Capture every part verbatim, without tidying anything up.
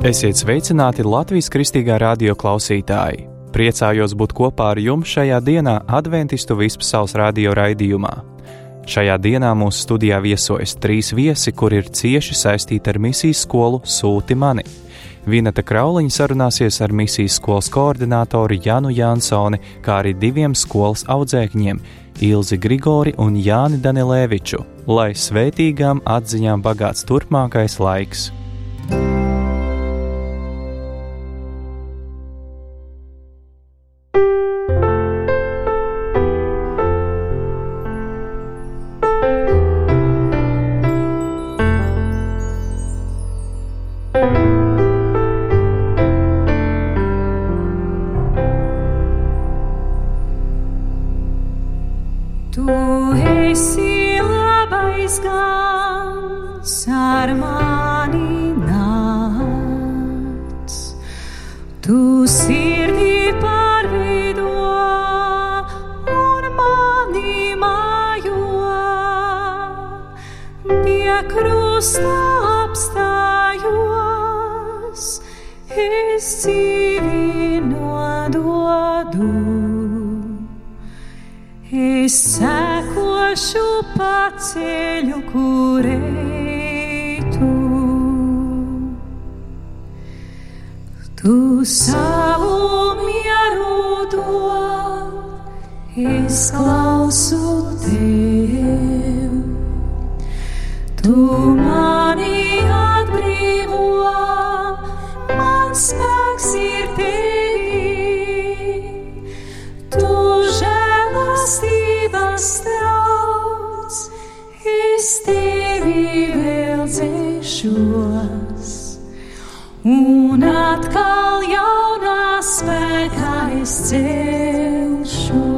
Esiet sveicināti Latvijas Kristīgā radio klausītāji! Priecājos būt kopā ar jums šajā dienā Adventistu Vispasaules radio raidījumā. Šajā dienā mūsu studijā viesojas trīs viesi, kuri ir cieši saistīti ar misijas skolu Sūti mani. Vineta Krauliņa sarunāsies ar misijas skolas koordinātoru Janu Jansoni, kā arī diviem skolas audzēkņiem Ilzi Grigori un Jāni Danilēviču, lai svētīgām atziņām bagāts turpmākais laiks. Un atkal jaunā spēkā es celšos.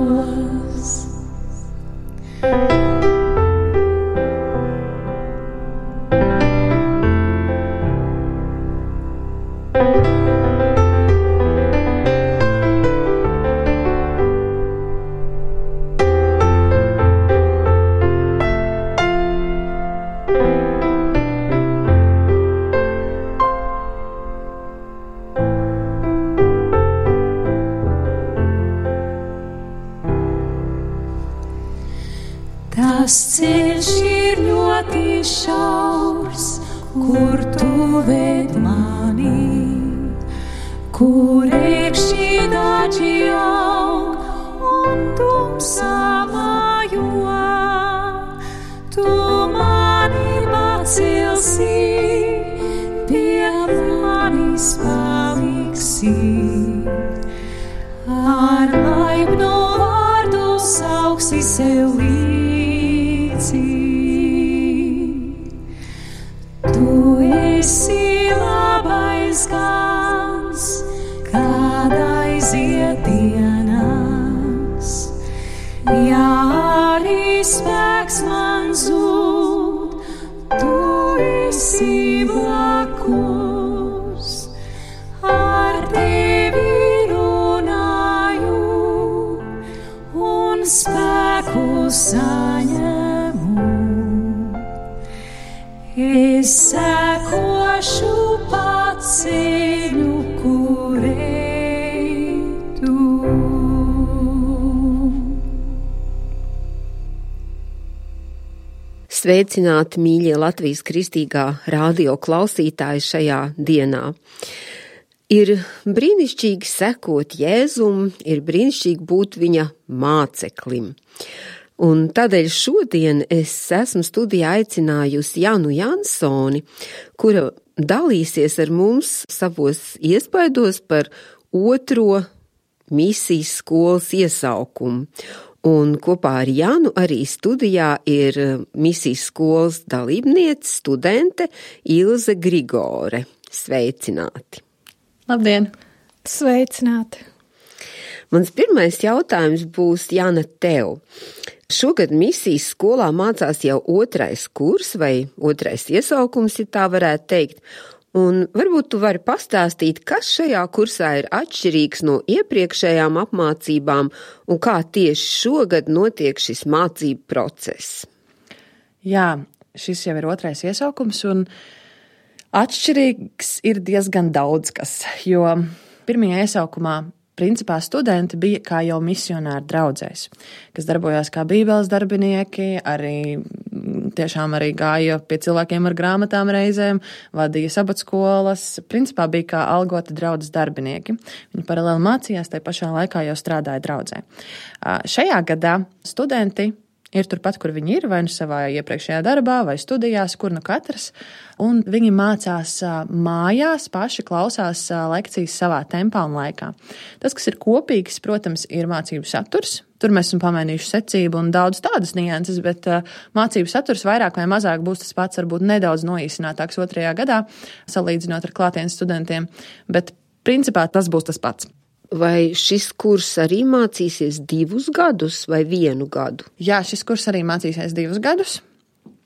Tas ceļš ir ļoti šaurs, kur tu ved mani, kur iekšķi daži aug un tumsā mājo. Tu mani pacelsi, pie manis paliksi, ar laipnu vārdu sauksi sev līdzi. Tu esi labais gans, kad aiziet dienas, ja arī spēks man zūd, tu esi blakus, ar tevi runāju un spēku saņemu. Es sekošu pa ceļu, kur ej tu. Sveicināti, mīļie Latvijas Kristīgā radio klausītāji šajā dienā. Ir brīnišķīgi sekot Jēzum, ir brīnišķīgi būt viņa māceklim. Un tādēļ šodien es esmu studijā aicinājusi Janu Jansoni, kura dalīsies ar mums savos iespaidos par otro misijas skolas iesaukumu. Un kopā ar Janu arī studijā ir misijas skolas dalībniece, studente Ilze Grigore. Sveicināti! Labdien! Sveicināti! Mans pirmais jautājums būs, Jana, tev. Šogad misijas skolā mācās jau otrais kurs vai otrais iesaukums, ja tā varētu teikt. Un varbūt tu vari pastāstīt, kas šajā kursā ir atšķirīgs no iepriekšējām apmācībām un kā tieši šogad notiek šis mācību process. Jā, šis jau ir otrais iesaukums un Atšķirīgs ir diezgan daudz kas, jo pirmajā iesaukumā principā studenti bija kā jau misionāri draudzēs, kas darbojās kā bībeles darbinieki, arī tiešām arī gāja pie cilvēkiem ar grāmatām reizēm, vadīja sabatskolas, principā bija kā algoti draudzes darbinieki. Viņi paralēli mācījās, tai pašā laikā jau strādāja draudzē. Šajā gadā studenti ir turpat, kur viņi ir, vai nu savā iepriekšējā darbā, vai studijās, kur nu katrs, un viņi mācās mājās, paši klausās lekcijas savā tempā un laikā. Tas, kas ir kopīgs, protams, ir mācību saturs. Tur mēs esam pamainījuši secību un daudz tādas nianses, bet mācību saturs vairāk vai mazāk būs tas pats, varbūt nedaudz noīsinātāks otrajā gadā, salīdzinot ar klātienes studentiem, bet principā tas būs tas pats. Vai šis kurs arī mācīsies divus gadus vai vienu gadu? Jā, šis kurs arī mācīsies divus gadus.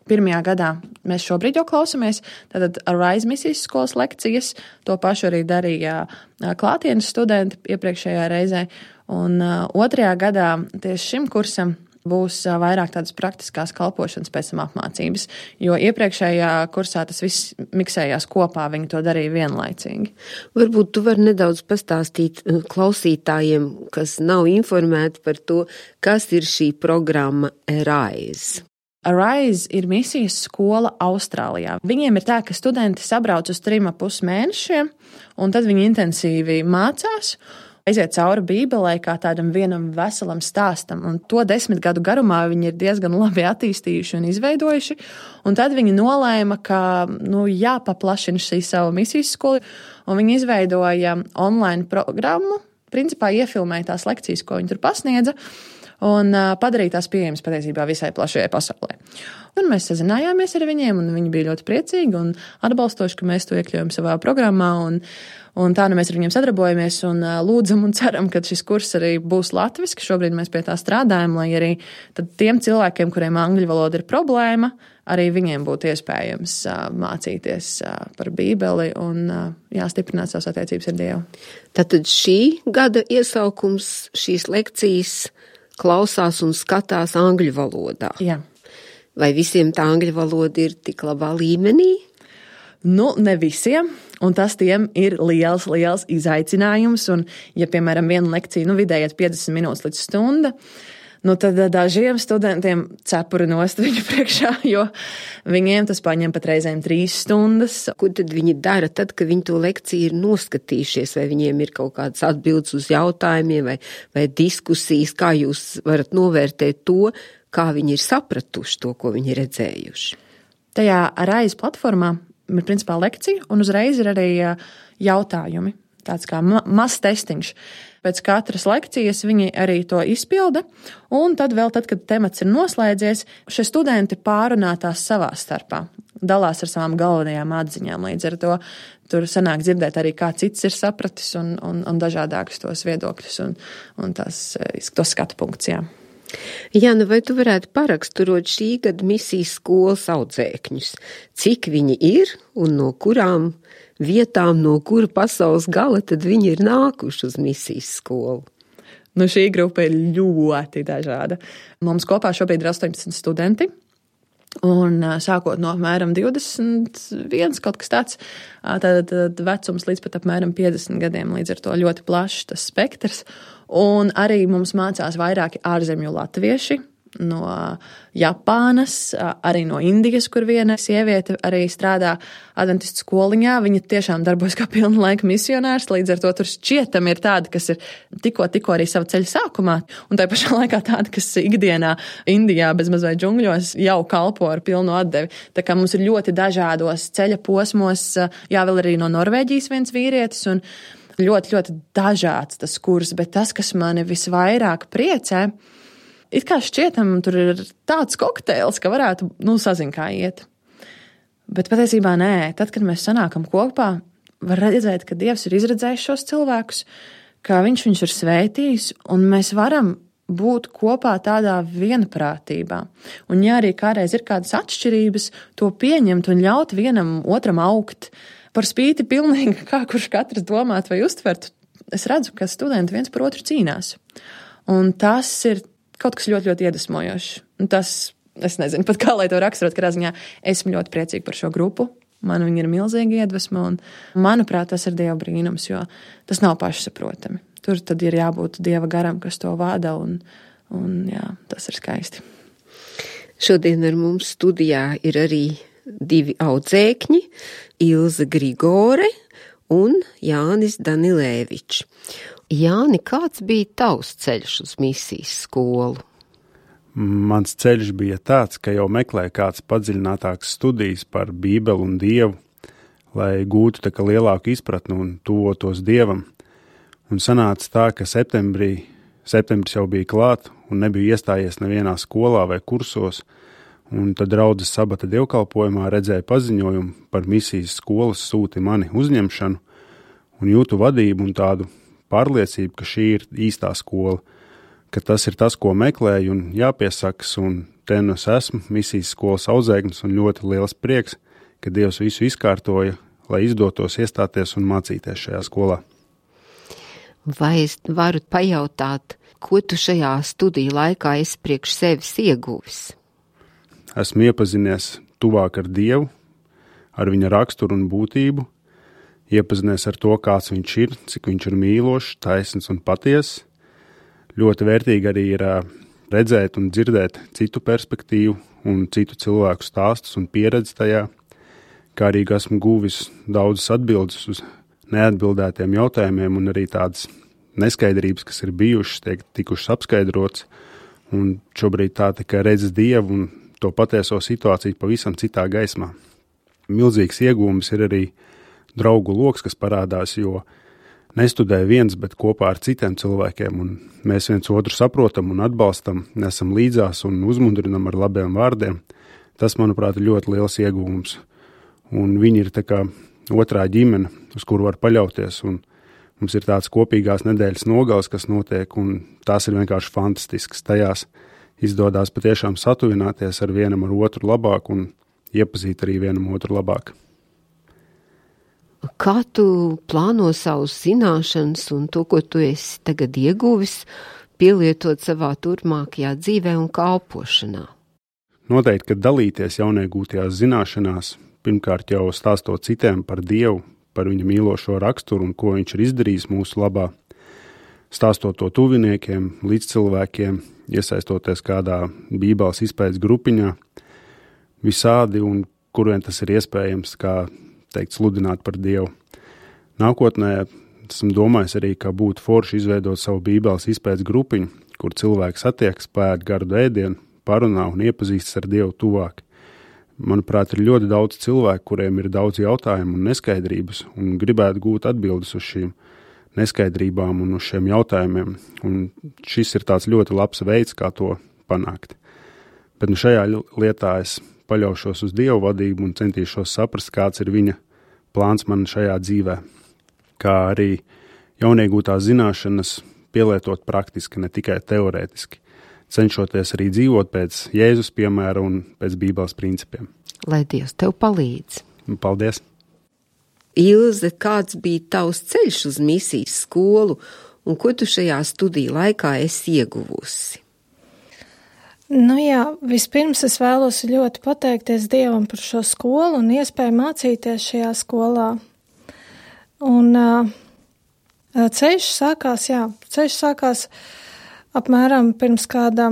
Pirmajā gadā mēs šobrīd jau klausamies, tātad Arise misijas skolas lekcijas, to pašu arī darīja klātienes studenti iepriekšējā reizē, un otrajā gadā tieši šim kursam būs vairāk tādas praktiskās kalpošanas pēc tam apmācības, jo iepriekšējā kursā tas viss miksējās kopā, viņi to darīja vienlaicīgi. Varbūt tu vari nedaudz pastāstīt klausītājiem, kas nav informēti par to, kas ir šī programma Arise. Arise ir misijas skola Austrālijā. Viņiem ir tā, ka studenti sabrauc uz trim ap pus mēnešiem, un tad viņi intensīvi mācās, aiziet cauri Bībelē kā tādam vienam veselam stāstam, un to desmit gadu garumā viņi ir diezgan labi attīstījuši un izveidojuši, un tad viņi nolēma, ka nu, jāpaplašina šī savu misijas skolu, un viņi izveidoja online programmu, principā iefilmēja tās lekcijas, ko viņi tur pasniedza, un padarīja tās pieejamas patiesībā visai plašajai pasaulē. Un mēs sazinājāmies ar viņiem, un viņi bija ļoti priecīgi un atbalstoši, ka mēs to iekļaujam savā programmā, un, un tā nu mēs ar viņiem sadarbojamies un lūdzam un ceram, ka šis kurs arī būs latviski. Šobrīd mēs pie tā strādājam, lai arī tad tiem cilvēkiem, kuriem angļu valoda ir problēma, arī viņiem būtu iespējams mācīties par Bībeli un jāstiprināt savas attiecības ar Dievu. Tātad šī gada iesaukums šīs lekcijas klausās un skatās angļu valodā. Jā. Vai visiem tā angļu valoda ir tik labā līmenī? Nu, ne visiem, un tas tiem ir liels, liels izaicinājums, un ja, piemēram, viena lekcija, nu, vidēji piecdesmit minūtes līdz stunda, nu, tad dažiem studentiem cepuri nost viņu priekšā, jo viņiem tas paņem pat reizēm trīs stundas. Ko tad viņi dara tad, kad viņi to lekciju ir noskatījušies, vai viņiem ir kaut kādas atbildes uz jautājumiem, vai, vai diskusijas, kā jūs varat novērtēt to, kā viņi ir sapratuši to, ko viņi ir redzējuši? Tajā Arise platformā ir principā lekcija, un uzreiz ir arī jautājumi, tāds kā mazs testiņš. Pēc katras lekcijas viņi arī to izpilda, un tad vēl tad, kad temats ir noslēdzies, šie studenti pārunā tās savā starpā, dalās ar savām galvenajām atziņām. Līdz ar to tur sanāk dzirdēt arī, kā cits ir sapratis, un, un, un dažādākus tos viedokļus un, un tās, tos skatu punktus, jā. Jāna, vai tu varētu paraksturot šī gada misijas skolas audzēkņus? Cik viņi ir un no kurām vietām, no kura pasaules gala tad viņi ir nākuši uz misijas skolu? Nu, šī grupa ir ļoti dažāda. Mums kopā šobrīd ir astoņpadsmit studenti. Un sākot no apmēram divdesmit viens kaut kas tāds, tad, tad vecums līdz pat apmēram piecdesmit gadiem, līdz ar to ļoti plašs tas spektrs. Un arī mums mācās vairāki ārzemju latvieši no Japānas, arī no Indijas, kur viena sieviete arī strādā adventistu skoliņā. Viņa tiešām darbojas kā pilna laika misionārs, līdz ar to tur šķietam ir tādi, kas ir tikko, tikko arī savu ceļu sākumā, un tai pašā laikā tādi, kas ikdienā Indijā bez mazai džungļos jau kalpo ar pilnu atdevi. Tā kā mums ir ļoti dažādos ceļa posmos, jā, vēl arī no Norvēģijas viens vīrietis, un ļoti, ļoti dažāds tas kurs, bet tas, kas mani visvairāk priecē, it kā šķietam, tur ir tāds kokteils, ka varētu, nu, sazin kā iet. Bet patiesībā nē, tad, kad mēs sanākam kopā, var redzēt, ka Dievs ir izredzējis šos cilvēkus, ka viņš viņus ir svētījis, un mēs varam būt kopā tādā vienprātībā. Un ja arī kādreiz ir kādas atšķirības, to pieņemt un ļaut vienam otram augt, par spīti pilnīgi, kā kurš katrs domāt vai uztvert, es redzu, ka studenti viens par otru cīnās. Un tas ir kaut kas ļoti, ļoti iedvesmojošs. Un tas, es nezinu, pat kā lai to raksturot, kādā ziņā esmu ļoti priecīga par šo grupu. Man viņa ir milzīga iedvesma, un manuprāt, tas ir Dieva brīnums, jo tas nav pašsaprotami. Tur tad ir jābūt Dieva garam, kas to vada, un, un jā, tas ir skaisti. Šodien ar mums studijā ir arī divi audzēkņi, Ilze Grigore un Jānis Danilēvičs. Jāni, kāds bija tavs ceļš uz misijas skolu? Mans ceļš bija tāds, ka jau meklēju kāds padziļinātāks studijas par Bībeli un Dievu, lai gūtu tā kā lielāku izpratni un tuvotos Dievam. Un sanāca tā, ka septembrī, septembris jau bija klāt un nebija iestājies nevienā skolā vai kursos, un tad draudzes sabata dievkalpojumā redzēja paziņojumu par misijas skolas sūti mani uzņemšanu un jūtu vadību un tādu pārliecību, ka šī ir īstā skola, ka tas ir tas, ko meklēju un jāpiesakas, un te nu es esmu misijas skolas audzēknis un ļoti liels prieks, ka Dievs visu izkārtoja, lai izdotos iestāties un mācīties šajā skolā. Vai es varu pajautāt, ko tu šajā studiju laikā esi priekš sevis ieguvis? Esmu iepazinies tuvāk ar Dievu, ar viņa raksturu un būtību, iepazinies ar to, kāds viņš ir, cik viņš ir mīlošs, taisns un patiess. Ļoti vērtīgi arī ir redzēt un dzirdēt citu perspektīvu un citu cilvēku stāstus un pieredzi tajā, kā arī esmu guvis daudzas atbildes uz neatbildētiem jautājumiem un arī tādas neskaidrības, kas ir bijušas, tiek tikušas apskaidrots, un šobrīd tā tikai redz Dievu un to patieso situāciju pavisam citā gaismā. Milzīgs iegūms ir arī draugu loks, kas parādās, jo nestudē viens, bet kopā ar citiem cilvēkiem, un mēs viens otru saprotam un atbalstam, nesam līdzās un uzmundrinam ar labiem vārdiem. Tas, manuprāt, ir ļoti liels iegūms, un viņi ir tā kā otrā ģimene, uz kuru var paļauties, un mums ir tāds kopīgās nedēļas nogals, kas notiek, un tās ir vienkārši fantastiskas. Tajās izdodās patiešām satuvināties ar vienam ar otru labāk un iepazīt arī vienam otru labāk. Kā tu plāno savus zināšanas un to, ko tu esi tagad ieguvis, pielietot savā turpmākajā dzīvē un kalpošanā? Noteikti, ka dalīties jauniegūtajās zināšanās, pirmkārt jau stāstot citiem par Dievu, par viņa mīlošo raksturu un ko viņš ir izdarījis mūsu labā, stāstot to tuviniekiem, līdzcilvēkiem, iesaistoties kādā Bībeles izpētes grupiņā, visādi un kurvien tas ir iespējams, kā teikt, sludināt par Dievu. Nākotnē esmu domājis arī, ka būtu forši izveidot savu Bībeles izpētes grupiņu, kur cilvēks satiekas, pēd gardu ēdienu, parunā un iepazīstas ar Dievu tuvāk. Manuprāt, ir ļoti daudz cilvēku, kuriem ir daudz jautājumu un neskaidrības, un gribētu gūt atbildes uz šīm neskaidrībām un uz šiem jautājumiem, un šis ir tāds ļoti labs veids, kā to panākt. Bet nu šajā lietā es paļaušos uz Dievu vadību un centīšos saprast, kāds ir viņa plāns man šajā dzīvē, kā arī jauniegūtās zināšanas pielietot praktiski, ne tikai teorētiski, cenšoties arī dzīvot pēc Jēzus piemēra un pēc Bībeles principiem. Lai Dievs tev palīdz. Paldies! Ilze, kāds bija tavs ceļš uz misijas skolu un ko tu šajā studiju laikā esi ieguvusi? Nu jā, vispirms es vēlos ļoti pateikties Dievam par šo skolu un iespēju mācīties šajā skolā. Un uh, ceļš sākās, jā, ceļš sākās apmēram pirms kāda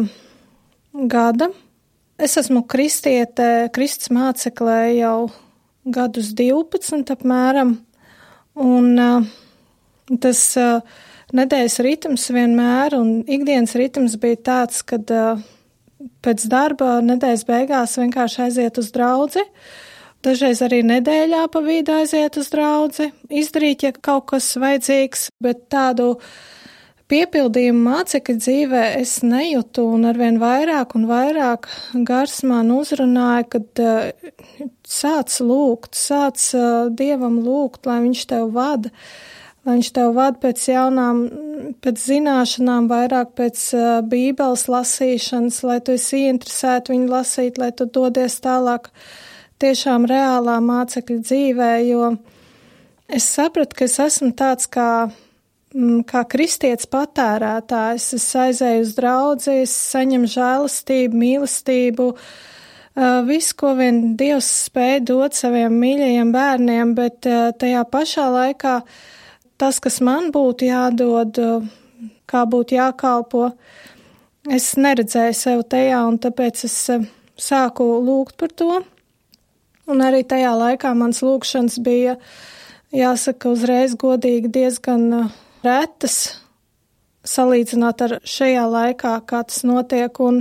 gada. Es esmu kristiete, Kristus māceklē jau gadus divpadsmit apmēram, un uh, tas uh, nedēļas ritms vienmēr un ikdienas ritms bija tāds, kad uh, pēc darba nedēļas beigās vienkārši aiziet uz draudzi, dažreiz arī nedēļā pa vidu aiziet uz draudzi, izdarīt, ja kaut kas vajadzīgs, bet tādu piepildījumu mācekļa dzīvē es nejūtu, un arvien vairāk un vairāk gars man uzrunāja, kad uh, sāc lūgt, sāc uh, Dievam lūgt, lai viņš tev vada, lai viņš tev vada pēc jaunām, pēc zināšanām, vairāk pēc uh, Bībeles lasīšanas, lai tu esi ieinteresēti viņu lasīt, lai tu dodies tālāk tiešām reālā mācekļa dzīvē, jo es sapratu, ka es esmu tāds kā kā kristietis patērētājs, es aizēju uz draudzi, es saņemu žēlastību, mīlestību, viss, ko vien Dievs spēja dot saviem mīļajiem bērniem, bet tajā pašā laikā tas, kas man būtu jādod, kā būtu jākalpo, es neredzēju sev tajā, un tāpēc es sāku lūgt par to. Un arī tajā laikā mans lūgšanas bija, jāsaka, uzreiz godīgi diezgan retas, salīdzinot ar šajā laikā, kā tas notiek, un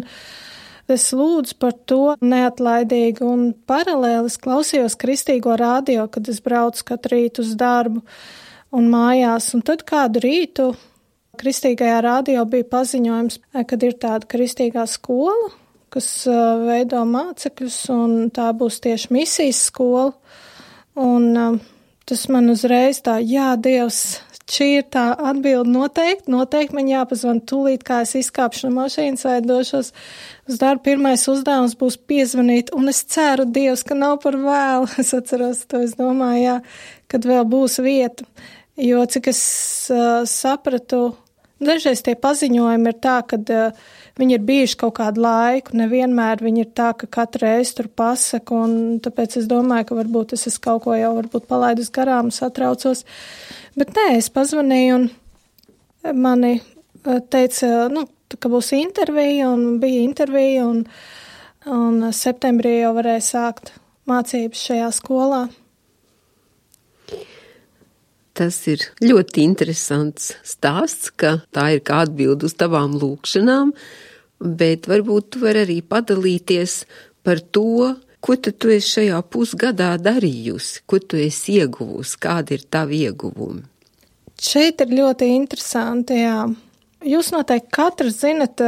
es lūdzu par to neatlaidīgi, un paralēli es klausījos kristīgo radio, kad es braucu katru rītu uz darbu un mājās, un tad kādu rītu kristīgajā radio bija paziņojums, kad ir tāda kristīgā skola, kas veido mācekļus, un tā būs tieši misijas skola, un tas man uzreiz tā, jā, Dievs, šī ir tā atbilde noteikti, noteikti man jāpazvan tūlīt, kā es izkāpšu no mašīnas vai došos uz darbu. Pirmais uzdevums būs piezvanīt, un es ceru, Dievs, ka nav par vēlu. Es atceros to, es domāju, jā, kad vēl būs vieta, jo cik es uh, sapratu, dažreiz tie paziņojumi ir tā, kad uh, viņi ir bijuši kaut kādu laiku, nevienmēr viņi ir tā, ka katru reizi tur pasaka, un tāpēc es domāju, ka varbūt es esmu kaut ko jau varbūt palaidus garām, satraucos. Bet nē, es pazvanīju, un mani teica, nu, ka būs intervija, un bija intervija, un, un septembrī jau varēja sākt mācības šajā skolā. Tas ir ļoti interesants stāsts, ka tā ir kā atbilde uz tavām lūkšanām, bet varbūt tu vari arī padalīties par to, ko tad tu esi šajā pusgadā darījusi, ko tu esi ieguvusi, kādi ir tavi ieguvumi? Šeit ir ļoti interesanti, jā. Jūs noteikti katrs zinat,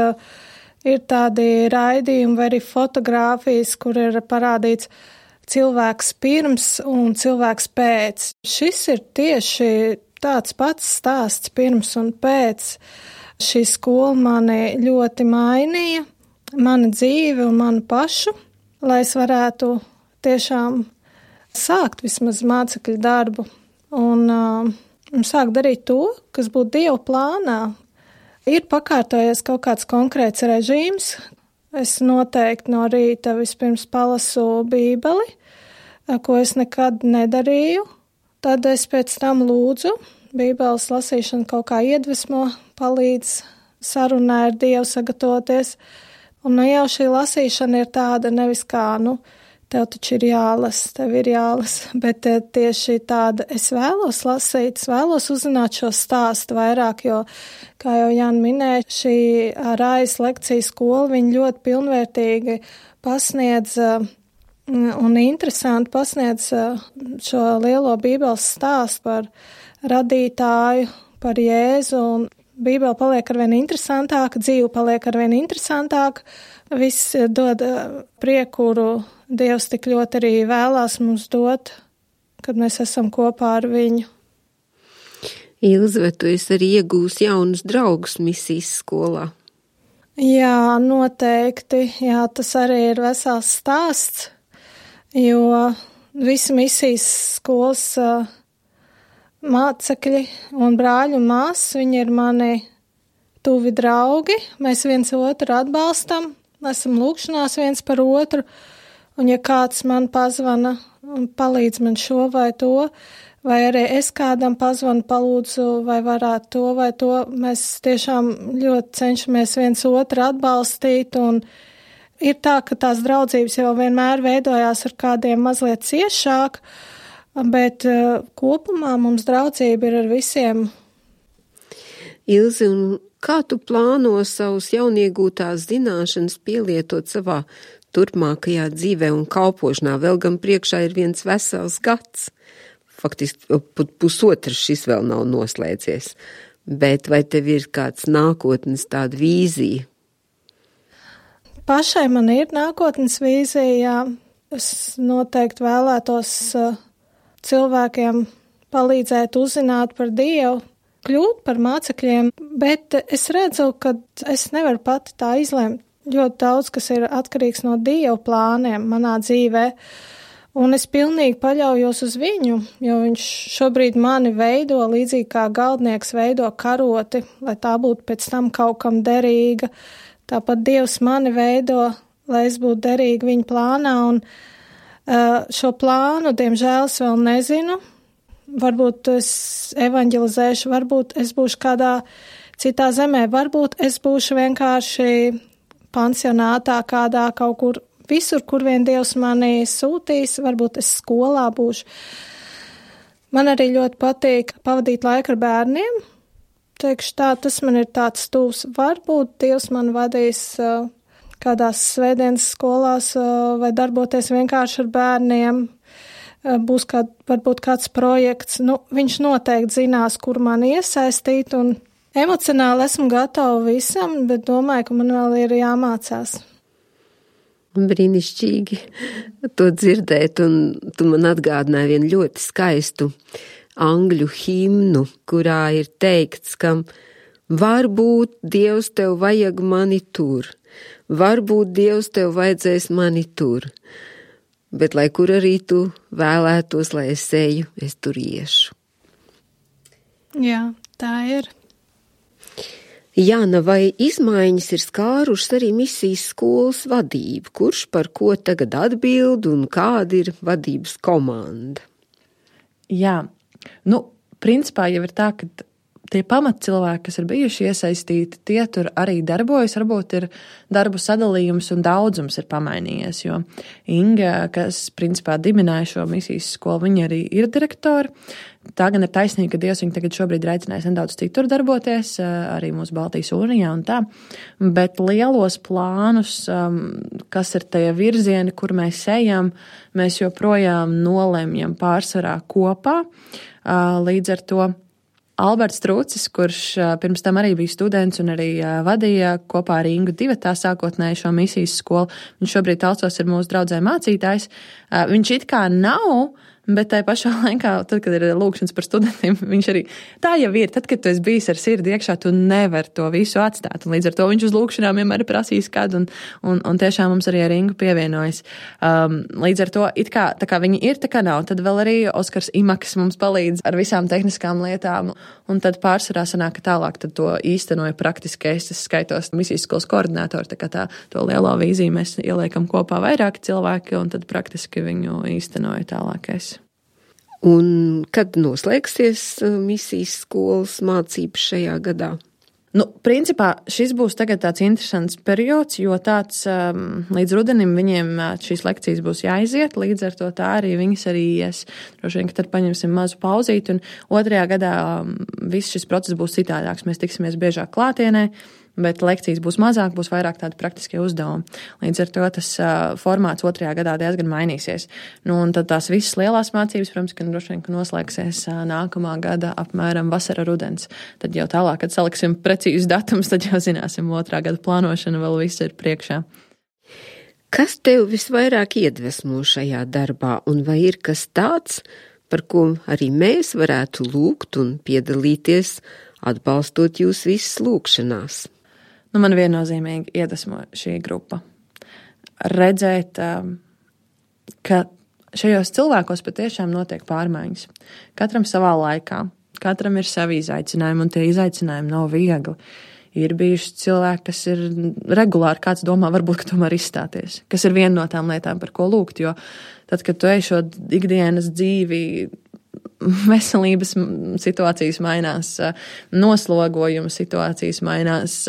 ir tādi raidījumi vai arī fotogrāfijas, kur ir parādīts cilvēks pirms un cilvēks pēc. Šis ir tieši tāds pats stāsts pirms un pēc. Šī skola mani ļoti mainīja, mana dzīve un manu pašu, lai es varētu tiešām sākt vismaz mācekļu darbu un, uh, un sākt darīt to, kas būtu Dieva plānā. Ir pakārtojies kaut kāds konkrēts režīms. Es noteikti no rīta vispirms palasu Bībeli, ko es nekad nedarīju. Tad es pēc tam lūdzu. Bībeles lasīšana kaut kā iedvesmo, palīdz sarunā ar Dievu sagatavoties. Un nu jau šī lasīšana ir tāda nevis kā, nu, tev taču ir jālas, tev ir jālas, bet tieši tāda, es vēlos lasīt, es vēlos uzzināt šo stāstu vairāk, jo, kā jau Jāna minēja, šī Rājas lekciju skola, viņa ļoti pilnvērtīgi pasniedz un interesanti pasniedz šo lielo Bībeles stāstu par radītāju, par Jēzu, un Bībele paliek arvien interesantāka, dzīve paliek arvien interesantāka, viss dod prieku, kuru Dievs tik ļoti arī vēlās mums dot, kad mēs esam kopā ar viņu. Ilze, vai tu esi arī iegūs jaunus draugus misijas skolā? Jā, noteikti. Jā, tas arī ir vesels stāsts, jo visi misijas skolas uh, mācekļi un brāļi un māsas, viņi ir mani tuvi draugi, mēs viens otru atbalstam, esam lūkšanās viens par otru, un ja kāds man pazvana un palīdz man šo vai to, vai arī es kādam pazvanu, palūdzu, vai varētu to vai to, mēs tiešām ļoti cenšamies viens otru atbalstīt, un ir tā, ka tās draudzības jau vienmēr veidojās ar kādiem mazliet ciešāk, bet uh, kopumā mums draudzība ir ar visiem. Ilze, un kā tu plāno savus jauniegūtās zināšanas pielietot savā turpmākajā dzīvē un kalpošanā? Vēl gan priekšā ir viens vesels gads. Faktiski pusotrs šis vēl nav noslēdzies. Bet vai tev ir kāds nākotnes tāda vīzija? Pašai man ir nākotnes vīzija, jā. Es noteikti vēlētos uh, cilvēkiem palīdzēt uzzināt par Dievu, kļūt par mācekļiem, bet es redzu, ka es nevaru pati tā izlemt. Ļoti daudz, kas ir atkarīgs no Dieva plāniem manā dzīvē, un es pilnīgi paļaujos uz viņu, jo viņš šobrīd mani veido līdzīgi kā galdnieks veido karoti, lai tā būtu pēc tam kaut kam derīga. Tāpat Dievs mani veido, lai es būtu derīga viņa plānā, un uh, šo plānu, diemžēl, es vēl nezinu. Varbūt es evanģelizēšu, varbūt es būšu kādā citā zemē, varbūt es būšu vienkārši pansionātā kādā kaut kur, visur, kur vien Dievs mani sūtīs, varbūt es skolā būšu. Man arī ļoti patīk pavadīt laiku ar bērniem. Teikšu tā, tas man ir tāds tūs. Varbūt Dievs man vadīs uh, kādās svētdienas skolās uh, vai darboties vienkārši ar bērniem. Uh, būs kād, varbūt kāds projekts. Nu, viņš noteikti zinās, kur man iesaistīt, un emocionāli esmu gatava visam, bet domāju, ka man vēl ir jāmācās. Brīnišķīgi to dzirdēt, un tu man atgādināji vienu ļoti skaistu angļu himnu, kurā ir teikts, ka varbūt Dievs tev vajag mani tur, varbūt Dievs tev vajadzēs mani tur, bet lai kur arī tu vēlētos, lai es eju, es tur iešu. Jā, tā ir. Jāna, vai izmaiņas ir skārušas arī misijas skolas vadību? Kurš par ko tagad atbild un kāda ir vadības komanda? Jā, nu, principā jau ir tā, ka tie pamatcilvēki, kas ir bijuši iesaistīti, tie tur arī darbojas. Varbūt ir darbu sadalījums un daudzums ir pamainījies, jo Inga, kas principā dibināja šo misijas skolu, viņa arī ir direktori. Tā gan ir taisnība, ka Dievs viņu tagad šobrīd ir aicinājis nedaudz citur darboties, arī mūsu Baltijas unijā un tā, bet lielos plānus, kas ir tie virzieni, kur mēs ejam, mēs joprojām nolemjam pārsvarā kopā. Līdz ar to Alberts Trūcis, kurš pirms tam arī bija students un arī vadīja kopā ar Ingu divatā sākotnēji šo misijas skolu, viņš šobrīd Talsos ir mūsu draudzē mācītājs, viņš it kā nav, bet tai pašā laikā, tad, kad ir lūkšanas par studentiem, viņš arī tā jau ir. Tad, kad tu esi bijis ar sirdi iekšā, tu nevar to visu atstāt. Un līdz ar to viņš uz lūkšanām vienmēr ir prasījis kādu, un, un, un tiešām mums arī ar Ingu pievienojas. Um, līdz ar to, it kā, tā kā viņi ir, tā kā nav, tad vēl arī Oskars Imaks mums palīdz ar visām tehniskām lietām, un tad pārsvarā sanāk, ka tālāk tad to īstenoja praktiski, es skaitos misijas skolas koordinātori, tā kā tā, to lielo vīziju mēs ieliekam kopā vairāki cilvēki, un tad praktiski viņu īstenoja tālākais. Un kad noslēgsies misijas skolas mācības šajā gadā? Nu, principā šis būs tagad tāds interesants periods, jo tāds um, līdz rudenim viņiem šīs lekcijas būs jāiziet, līdz ar to tā arī viņas arī ies. Droši vien, ka tad paņemsim mazu pauzīt, un otrajā gadā um, viss šis process būs citādāks. Mēs tiksimies biežāk klātienē, bet lekcijas būs mazāk, būs vairāk tādi praktiskie uzdevumi. Līdz ar to tas uh, formāts otrajā gadā diezgan mainīsies. Nu, un tad tās visas lielās mācības, protams, ka droši vien, ka noslēgsies uh, nākamā gada apmēram vasara rudens. Tad jau tālāk, kad saliksim precīzus datumus, tad jau zināsim otrā gada plānošana vēl viss ir priekšā. Kas tev visvairāk iedvesmo šajā darbā, un vai ir kas tāds, par ko arī mēs varētu lūgt un piedalīties, atbalstot jūs visas lūkšanās? Nu, man viennozīmīgi iedvesmo šī grupa. Redzēt, ka šajos cilvēkos patiešām notiek pārmaiņas. Katram savā laikā, katram ir savi izaicinājumi, un tie izaicinājumi nav viegli. Ir bijuši cilvēki, kas ir regulāri, kāds domā, varbūt, ka tomēr izstāties, kas ir viena no tām lietām, par ko lūgt, jo tad, kad tu ej šo ikdienas dzīvi, veselības situācijas mainās, noslogojuma situācijas mainās,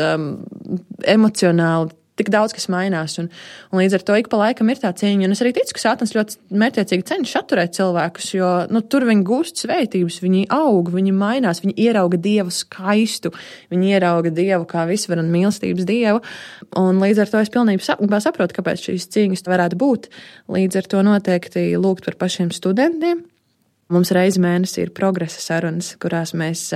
emocionāli tik daudz, kas mainās, un, un līdz ar to ik pa laikam ir tā cieņa, un es arī ticu, ka Sātans ļoti mērķiecīgi cenšas atturēt cilvēkus, jo, nu, tur viņi gūst svētības, viņi aug, viņi mainās, viņi ierauga Dievu skaistu, viņi ierauga Dievu kā visvaran mīlestības Dievu, un līdz ar to es pilnībā saprotu, kāpēc šīs cīņas varētu būt. Līdz ar to noteikti lūgt par pašiem studentiem. Mums reizi mēnesī ir progresa sarunas, kurās mēs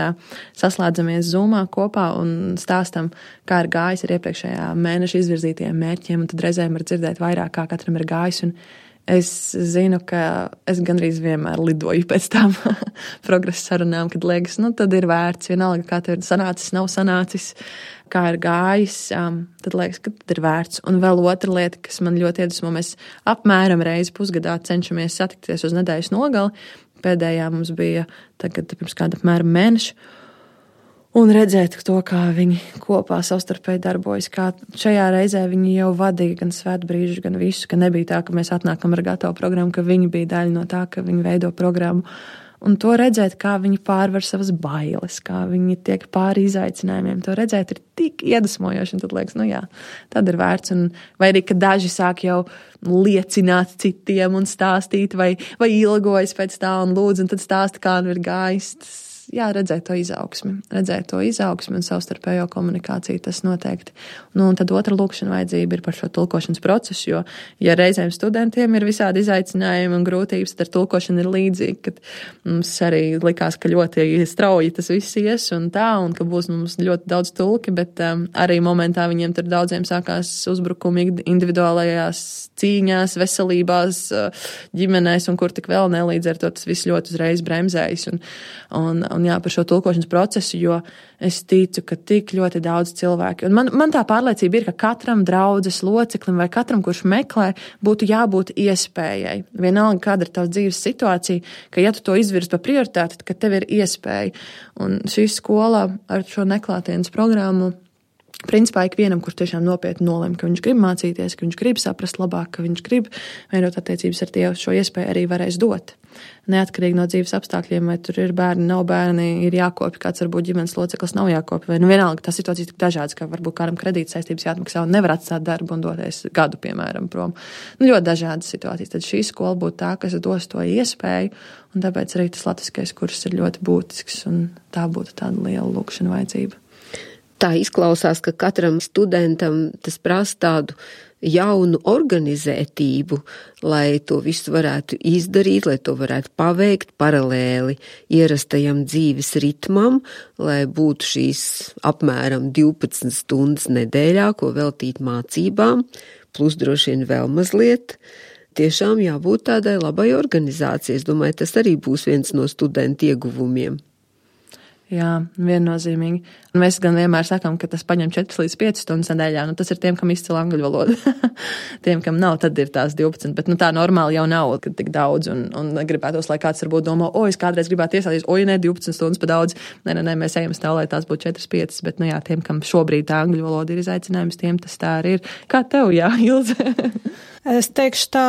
saslēdzamies Zoomā kopā un stāstam, kā ir gājis ar iepriekšējā mēneša izvirzītajiem mērķiem, un tad reizēm var dzirdēt vairāk, kā katram ir gājis, un es zinu, ka es gandrīz vienmēr lidoju pēc tām progresa sarunām, kad liekas, nu tad ir vērts, vienalga, kā tev ir sanācis, nav sanācis, kā ir gājis, tad liekas, ka tad ir vērts. Un vēl otra lieta, kas man ļoti iedvesmo, mēs apmēram reizi pusgadā cenšamies satikties uz nedēļas nogali. Pēdējā mums bija tagad pirms kāda apmēram mēneša. Un redzēt to, kā viņi kopā savstarpēji darbojas, kā šajā reizē viņi jau vadīja gan svētbrīžu, gan visu, ka nebija tā, ka mēs atnākam ar gatavu programmu, ka viņi bija daļa no tā, ka viņi veido programmu. Un to redzēt, kā viņi pārvar savas bailes, kā viņi tiek pāri izaicinājumiem, to redzēt ir tik iedvesmojoši, un tad liekas, nu jā, tad ir vērts. Un vai arī, ka daži sāk jau liecināt citiem un stāstīt, vai, vai ilgojas pēc tā un lūdz, un tad stāsta, kā nu ir gājis. Jā, redzēt to izaugsmi, redzēt to izaugsmi un savstarpējo komunikāciju, tas noteikti. Nu, un tad otra lūkšana vajadzība ir par šo tulkošanas procesu, jo, ja reizēm studentiem ir visādi izaicinājumi un grūtības, tad ar tulkošanu ir līdzīgi, kad mums arī likās, ka ļoti strauji tas viss ies un tā, un ka būs mums ļoti daudz tulki, bet um, arī momentā viņiem tur daudziem sākās uzbrukumi individuālajās cīņās, veselībās, ģimenēs un kur tik vēl ne, līdz ar to tas viss ļoti uzreiz bremzējas. Un, un Un jā, par šo tulkošanas procesu, jo es ticu, ka tik ļoti daudz cilvēki. Un man, man tā pārliecība ir, ka katram draudzes loceklim vai katram, kurš meklē, būtu jābūt iespējai. Vienalga, kāda ir tavs dzīves situācija, ka ja tu to izvirz par prioritāti, tad tev ir iespēja. Un šī skola ar šo neklātienes programmu, principā ikvienam, kurš tiešām nopietni nolem, ka viņš grib mācīties, ka viņš grib saprast labāk, ka viņš grib veidot attiecības ar Dievu, šo iespēju arī varēs dot. Neatkarīgi no dzīves apstākļiem, vai tur ir bērni, nav bērni, ir jākopja, kāds varbūt ģimenes loceklis nav jākopja, vai nu vienalga, tā situācija ir tik dažādas, ka varbūt kādam kredīta saistības jāatmaksā un nevar atstāt darbu un doties gadu, piemēram, prom. Nu, ļoti dažādas situācijas. Tad šī skola būtu tā, kas dos to iespēju, un tāpēc arī tas latviskais kurs ir ļoti būtisks, un tā būtu tāda liela lūkšana vajadzība. Tā izklausās, ka katram studentam tas prasa tādu jaunu organizētību, lai to visu varētu izdarīt, lai to varētu paveikt paralēli ierastajam dzīves ritmam, lai būtu šīs apmēram divpadsmit stundas nedēļā, ko veltīt mācībām, plus droši vien vēl mazliet. Tiešām jābūt tādai labai organizācijai. Es domāju, tas arī būs viens no studentu ieguvumiem. Jā, viennozīmīgi. Un mēs gan vienmēr sakām, ka tas paņem četras līdz piecas stundas nedēļā. Nu, tas ir tiem, kam izcil angļu valodu. Tiem, kam nav, tad ir tās divpadsmit. Bet nu, tā normāli jau nav, kad tik daudz. Un, un gribētos, lai kāds varbūt domā, o, es kādreiz gribētu iesādīt, o, ja ne, divpadsmit stundas pa daudz. Nē, nē, nē, mēs ejam stāv, lai tās būtu četras piecas. Bet, nu jā, tiem, kam šobrīd tā angļu valoda ir izaicinājums, tiem tas tā arī ir. Kā tev, jā, Ilze? Es teikšu tā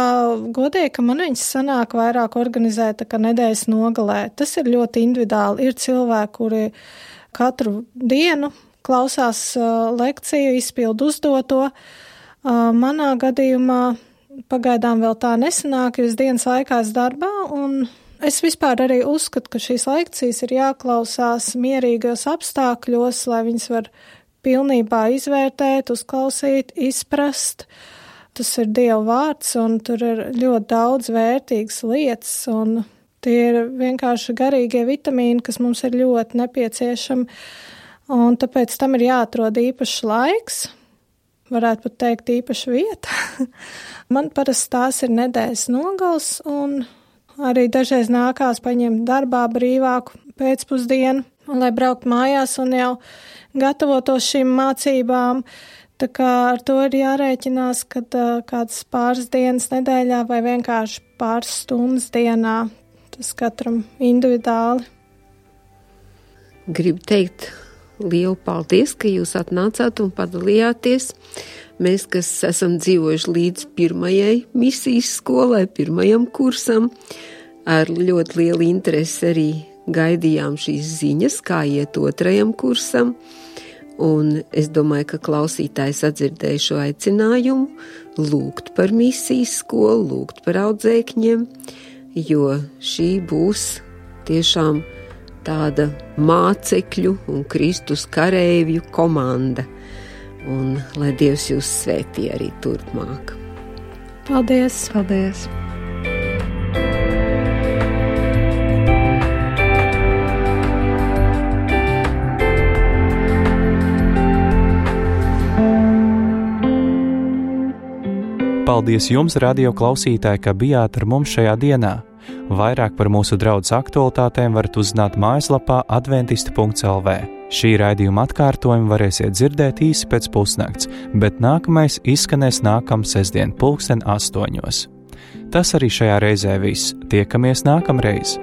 godīgi, ka man viņas sanāk vairāk organizēt, ka nedēļas nogalē. Tas ir ļoti individuāli. Ir cilvēki, kuri katru dienu klausās uh, lekciju, izpildu uzdoto. Uh, manā gadījumā pagaidām vēl tā nesanāk, jo es dienas laikā esmu darbā, un es vispār arī uzskatu, ka šīs lekcijas ir jāklausās mierīgos apstākļos, lai viņas var pilnībā izvērtēt, uzklausīt, izprast. Tas ir Dieva vārds, un tur ir ļoti daudz vērtīgas lietas, un tie ir vienkārši garīgie vitamīni, kas mums ir ļoti nepieciešami, un tāpēc tam ir jāatrod īpašs laiks, varētu pat teikt īpaša vieta. Man parasti tās ir nedēļas nogals, un arī dažreiz nākās paņemt darbā brīvāku pēcpusdienu, lai braukt mājās un jau gatavotos šīm mācībām. Tā kā ar to ir jārēķinās, kad uh, kāds pāris dienas nedēļā vai vienkārši pāris stundas dienā, tas katram individuāli. Gribu teikt lielu paldies, ka jūs atnācāt un padalījāties. Mēs, kas esam dzīvojuši līdz pirmajai misijas skolai, pirmajam kursam, ar ļoti lielu interesi arī gaidījām šīs ziņas, kā iet otrajam kursam. Un es domāju, ka klausītājs atdzirdēja šo aicinājumu lūgt par misijas skolu, lūgt par audzēkņiem, jo šī būs tiešām tāda mācekļu un Kristus kareivju komanda. Un lai Dievs jūs svētī arī turpmāk. Paldies! Paldies! Paldies jums, radio klausītāji, ka bijāt ar mums šajā dienā. Vairāk par mūsu draudzes aktualitātēm varat uzzināt mājaslapā adventisti punkts el vē. Šī raidījuma atkārtojumu varēsiet dzirdēt īsi pēc pusnakts, bet nākamais izskanēs nākamā sestdien pulksten astoņos. Tas arī šajā reizē viss. Tiekamies nākamreiz!